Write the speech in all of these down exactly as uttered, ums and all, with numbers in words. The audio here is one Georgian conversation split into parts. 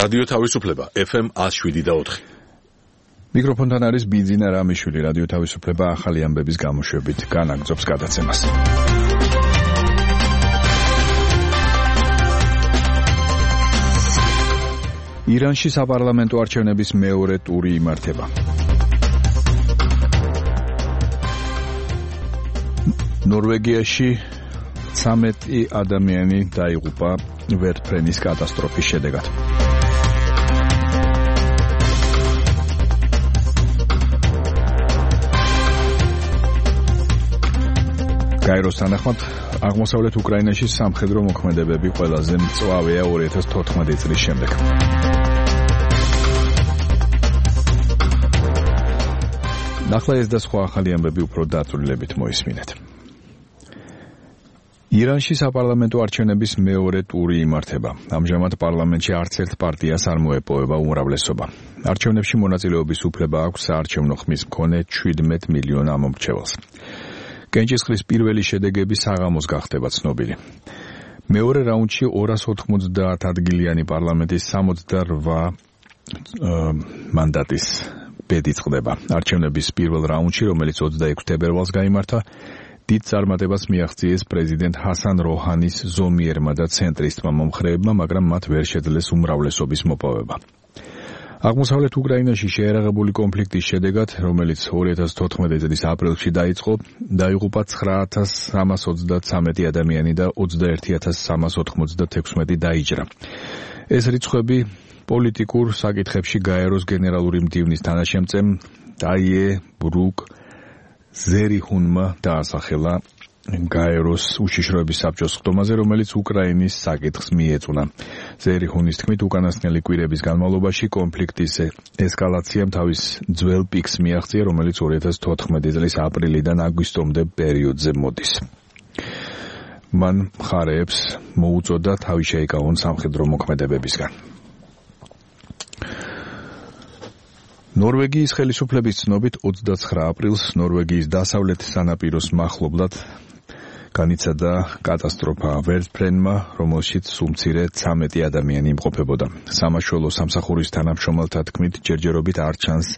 რადიო თავისუფლება ეფ ემ one oh seven და four. მიკროფონთან არის ბიძინა რამიშვილი. რადიო თავისუფლება ახალი ამბების გამოშვებით განაგრძობს გადაცემას. ირანში საპარლამენტო არჩევნების მეორე ტური იმართება. ნორვეგიაში ცამეტი ადამიანი დაიღუპა ვერტფრენის კატასტროფის შედეგად. გაეროს თანახმად აღმოსავლეთ უკრაინაში სამხედრო მოქმედებები ყველაზე მწვავეა two thousand fourteen წლის შემდეგ. ნახლა ეს და სხვა ახალი ამბები უფრო დაწვრილებით მოისმინეთ. ირანში საპარლამენტო არჩევნების მეორე ტური იმართება. ამჟამად პარლამენტში არც ერთ პარტიას არ მოეპოვება უმრავლესობა. არჩევნებში მონაწილეობის უფლება აქვს საარჩევნო ხმის მქონე seventeen მილიონ ამომრჩეველს. კენჭისყრის პირველი შედეგები საღამოს გახდება ცნობილი. მეორე რაუნდში two hundred ninety ადგილიანი პარლამენტის sixty-eight მანდატის ბედი წყდება. არჩევნების პირველ რაუნდში, რომელიც twenty-six თებერვალს გაიმართა, დიდ წარმატებას მიაღწიეს პრეზიდენტ ჰასან როჰანის ზომიერმა და ცენტრისტმა მომხრეებმა, მაგრამ მათ ვერ შეძლეს უმრავლესობის მოპოვება. აღმოსავლეთ უკრაინაში შეერაღებული კონფლიქტის შედეგად, რომელიც two thousand fourteen წლის აპრილში დაიწყო, დაიღუპა nine thousand three hundred thirty-three ადამიანი და twenty-one thousand three hundred sixty-six დაიჭრა. ეს რიცხვები პოლიტიკურ საკითხებში გაეროს გენერალური მდივნის თანაშემწემ დაიე ბრუკ ზერიხუნმა დაასახელა გაეროს უშიშროების საბჭოს ხდომაზე, რომელიც უკრაინის საკითხს მიეწუნა. ზერიხუნის თქმით, უკანასკნელი კვირების განმავლობაში კონფლიქტის ესკალაციამ თავის ძველ პიკს მიაღწია, რომელიც two thousand fourteen წლის აპრილიდან აგვისტომდე პერიოდზე მოდის. მან მხარეებს მოუწოდა თავი შეიკავონ სამხედრო მოქმედებებისგან. ნორვეგიის ხელისუფლების ცნობით twenty-nine აპრილს ნორვეგიის დასავლეთ სანაპიროს მახლობლად განიცადა კატასტროფა ვერტფრენმა, რომელშიც უმცირე thirteen ადამიანი იმყოფებოდა. სამაშველო სამსახურის თანამშრომელთა თქმით, ჯერჯერობით არ ჩანს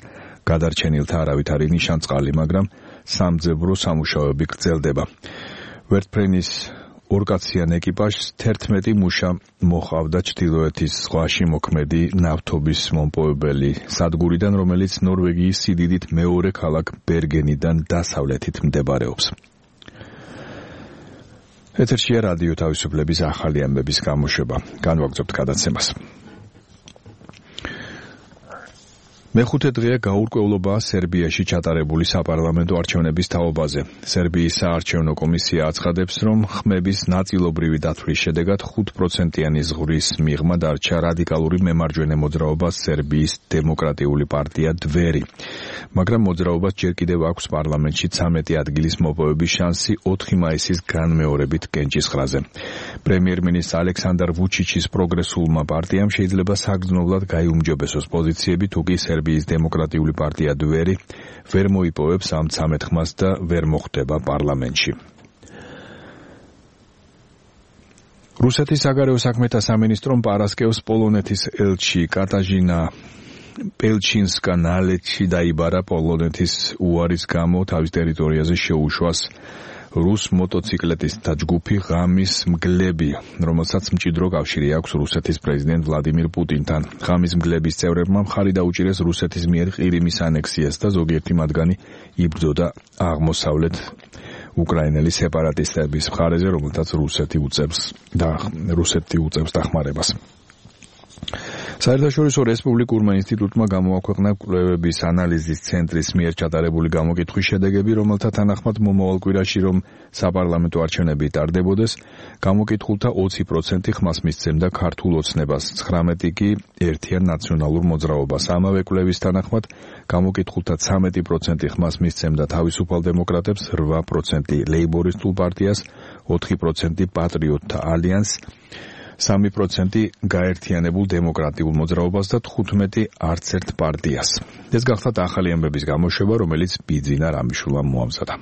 გადარჩენილთა არავითარი ნიშანწყალი, მაგრამ სამძებრო სამუშაოები გრძელდება. ვერტფრენის ორკაციან ეკიპაჟს eleven მუშა მოჰყავდა ჩრდილოეთის ზღვაში მოქმედი ნავთობის მომპოვებელი სადგურიდან, რომელიც ნორვეგიის სიდიდით მეორე ქალაქ ბერგენიდან დასავლეთით მდებარეობს. ეთერშია რადიო თავისუფლების ახალი ამბების გამოშვება. განვაგრძობთ გადაცემას. მეხუთე დღეა გაურკვევლობა სერბიაში ჩატარებული საპარლამენტო არჩევნების თაობაზე. სერბიის საარჩევნო კომისია აცხადებს, რომ ხმების ნაწილობრივი დათვლის შედეგად five პროცენტიანი ზღვრის მიღმა დარჩა რადიკალური მემარჯვენე მოძრაობას სერბიის დემოკრატიული პარტია დვერი. მაგრამ მოძრაობას ჯერ კიდევ აქვს პარლამენტში thirteen ადგილის მოპოვების შანსი four მაისის განმეორებით კენჭისყრაზე. პრემიერ-მინისტრ ალექსანდრ ვუჩიჩის პროგრესულმა პარტიამ შეიძლება საგრძნობლად გაიუმჯობესოს პოზიციები, თუკი სერბიის დემოკრატიული პარტია დვერი ვერ მოიპოვებს ამ thirteen ხმას და ვერ მოხვდება პარლამენტში. რუსეთის საგარეო საქმეთა სამინისტრომ პარასკევს პოლონეთის ელჩი კატაჟინა პელჩინსკა-ნალეჩი დაიბარა პოლონეთის უარის გამო თავის ტერიტორიაზე შეუშვას რუს მოტოციკლეტისტთა ჯგუფი ღამის მგლები, რომელსაც მჭიდრო კავშირი აქვს რუსეთის პრეზიდენტ ვლადიმირ პუტინთან. ღამის მგლების წევრებმა მხარი დაუჭირეს რუსეთის მიერ ყირიმის ანექსიას და ზოგიერთი მათგანი იბრძოდა აღმოსავლეთ უკრაინელი სეპარატისტების მხარეზე, რომელთაც რუსეთი უწევს და რუსეთი უწევს დახმარებას. საერთაშორისო რესპუბლიკურმა ინსტიტუტმა გამოაქვეყნა კვლევების ანალიზის ცენტრის მიერ ჩატარებული გამოკითხვის შედეგები, რომელთა თანახმად მომავალ კვირაში რომ საპარლამენტო არჩევნები ტარდებოდეს, გამოკითხულთა twenty პროცენტი ხმას მისცემდა ქართულ ოცნებას, nineteen კი ერთიან ნაციონალურ მოძრაობას. ამავე კვლევის თანახმად გამოკითხულთა thirteen პროცენტი ხმას მისცემდა თავისუფალ დემოკრატებს, eight პროცენტი ლეიბორისტულ პარტიას, four პროცენტი პატრიოტთა ალიანსს, three პროცენტი გაერთიანებულ დემოკრატიულ მოძრაობას და fifteen არც ერთ პარტიას. ეს გახლავთ ახალი ამბების გამოშვება, რომელიც ბიძინა რამიშვილმა მოამზადა.